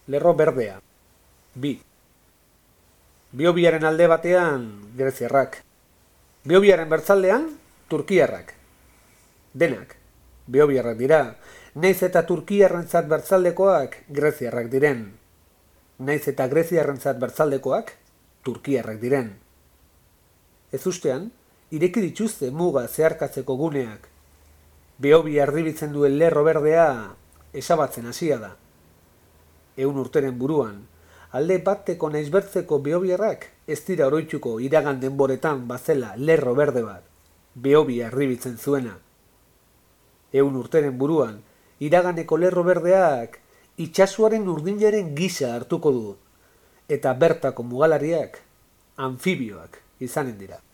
Lerro berdea. Bi. Biobiaren alde batean, greziarrak. Biobiaren bertzaldean, turkiarrak. Denak, biobiarrak dira, naiz eta turkiarrentzat bertzaldekoak greziarrak diren. Naiz eta greziarrentzat bertzaldekoak turkiarrak diren. Ez ustean, ireki dituzte muga zeharkatzeko guneak. Behobia erdibitzen duen lerro berdea esabatzen hasia da. 100 urteren buruan, alde bateko naiz bertzeko behobiarrak ez dira oroituko iragan denboretan bazela lerro berde bat, behobia erdibitzen zuena. 100 urteren buruan, iraganeko lerro berdeak itsasoaren urdinaren gisa hartuko du, eta bertako mugalariak anfibioak izanen dira.